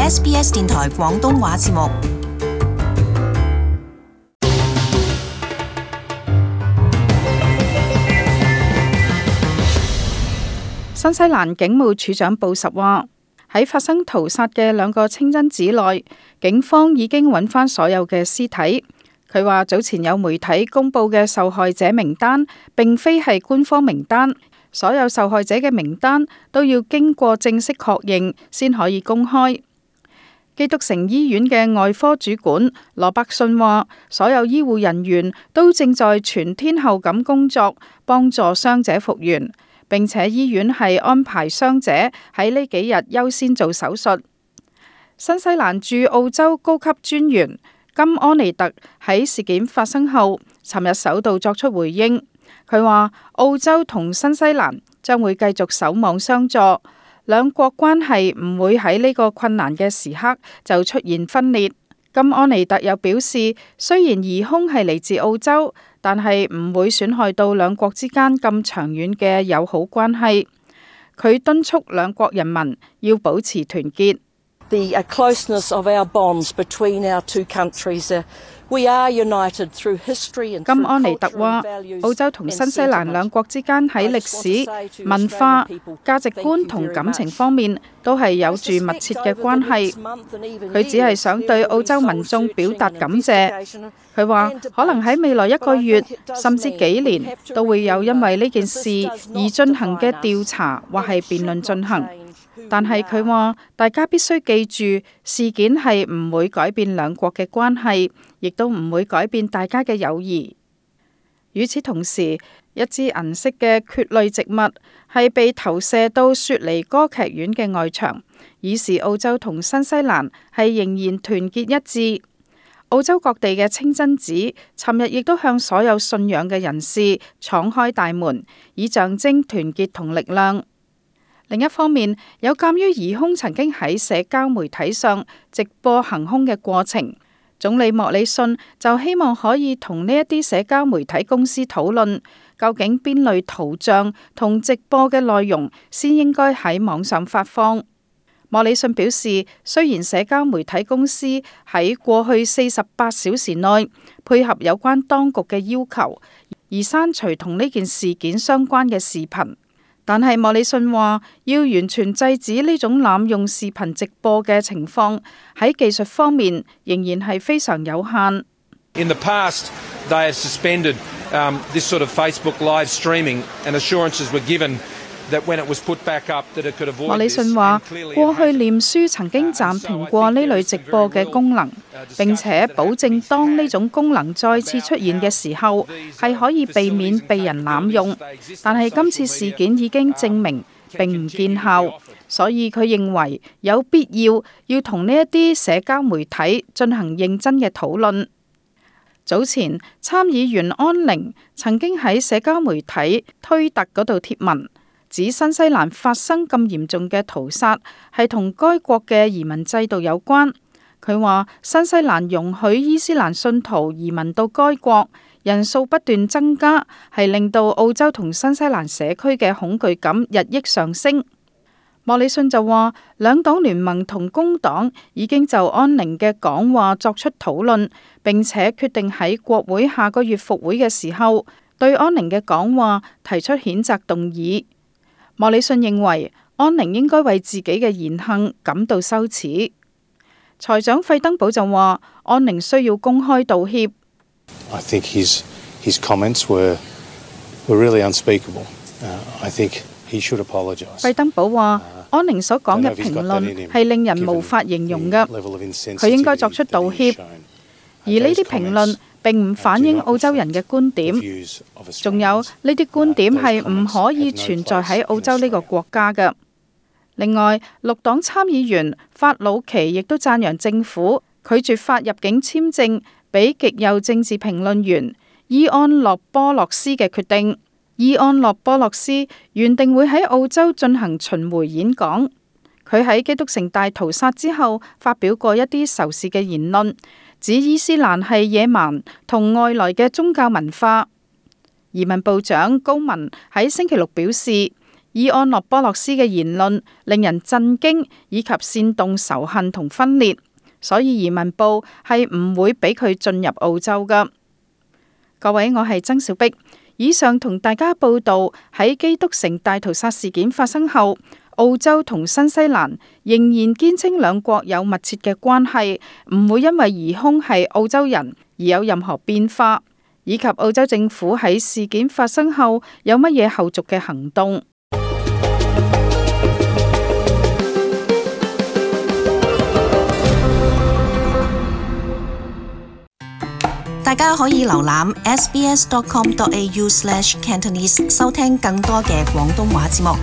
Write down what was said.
SBS 電台廣東話節目。新西蘭警務處長布什話，喺發生屠殺嘅2個清真寺內，警方已經揾翻所有嘅屍體。佢話早前有媒體公布嘅受害者名單並非係官方名單，所有受害者嘅名單都要經過正式確認先可以公開。基督城醫院嘅外科主管羅伯遜話，所有醫護人員都正在全天候咁工作，幫助傷者復原，並且醫院係安排傷者喺呢幾日優先做手術。新西蘭駐澳洲高級專員金安妮特喺事件發生後，尋日首度作出回應。佢話澳洲同新西蘭將會繼續守望相助，兩國關係唔會喺呢個困難嘅時刻就出現分裂。金安妮特又表示，雖然疑兇係嚟自澳洲，但係唔會損害到兩國之間咁長遠嘅友好關係。佢敦促兩國人民要保持團結。The closeness of our bonds between our two countries. We are united through history and 金安妮特話，澳洲同新西蘭兩國之間喺歷史、文化、價值觀同感情方面都係有住密切嘅關係。佢只係想對澳洲民眾表達感謝。佢話可能喺未來1個月甚至幾年都會有因為呢件事而進行嘅調查或係辯論進行。但係佢話，大家必須記住，事件係唔會改變兩國嘅關係，亦都唔會改變大家嘅友誼。與此同時，一支銀色嘅蕨類植物係被投射到雪梨歌劇院嘅外牆，以示澳洲同新西蘭係仍然團結一致。澳洲各地嘅清真寺尋日亦都向所有信仰嘅人士敞開大門，以象徵團結同力量。另一方面，有鑑於疑兇曾經喺社交媒體上直播行兇嘅過程，總理莫里遜就希望可以同呢一啲社交媒體公司討論，究竟邊類圖像同直播嘅內容先應該喺網上發放。莫里遜表示，雖然社交媒體公司喺過去48小時內配合有關當局嘅要求，而刪除同呢件事件相關嘅視頻，但係莫里遜話，要完全制止呢種濫用視頻直播嘅情況，喺技術方面仍然係非常有限。In the past, they have suspended this sort of Facebook live streaming, and assurances were given that when it was put back up, that it could avoid this. 莫里遜話，過去臉書曾經暫停過呢類直播嘅功能，並且保證當呢種功能再次出現嘅時候，係可以避免被人濫用。但係今次事件已經證明並唔見效，所以佢認為有必要同呢一啲社交媒體進行認真嘅討論。早前參議員安寧曾經喺社交媒體推特嗰度貼文，指新西蘭發生咁嚴重嘅屠殺係同該國嘅移民制度有關。佢話新西蘭容許伊斯蘭信徒移民到該國，人數不斷增加，係令到澳洲同新西蘭社區嘅恐懼感日益上升。莫里遜就話，兩黨聯盟同工黨已經就安寧嘅講話作出討論，並且決定喺國會下個月復會嘅時候對安寧嘅講話提出譴責動議。莫里遜認為安寧應該為自己嘅言行感到羞恥。財長費登堡就話，安寧需要公開道歉。I think his comments were really unspeakable. I think he should apologize. 費登堡話，安寧所講嘅評論係令人無法形容嘅，佢應該作出道歉。而呢啲評論並唔反映澳洲人嘅觀點，仲有呢啲觀點係唔可以存在喺澳洲呢個國家嘅。另外，綠黨參議員法魯奇亦都讚揚政府拒絕發入境簽證俾極右政治評論員伊安諾波洛斯嘅決定。伊安諾波洛斯原定會喺澳洲進行巡迴演講，佢喺基督城大屠殺之後發表過一啲仇視嘅言論，指伊斯蘭係野蠻同外來嘅宗教文化。移民部長高文喺星期六表示，伊安諾波洛斯嘅言論令人震驚，以及煽動仇恨同分裂，所以移民部係唔會俾佢進入澳洲㗎。各位，我係曾小碧，以上同大家報道喺基督城大屠殺事件發生後，澳洲同新西蘭仍然堅稱兩國有密切嘅關係，唔會因為疑兇係澳洲人而有任何變化，以及澳洲政府喺事件發生後有乜嘢後續嘅行動。大家可以瀏覽 sbs.com.au/Cantonese 收聽更多嘅廣東話節目。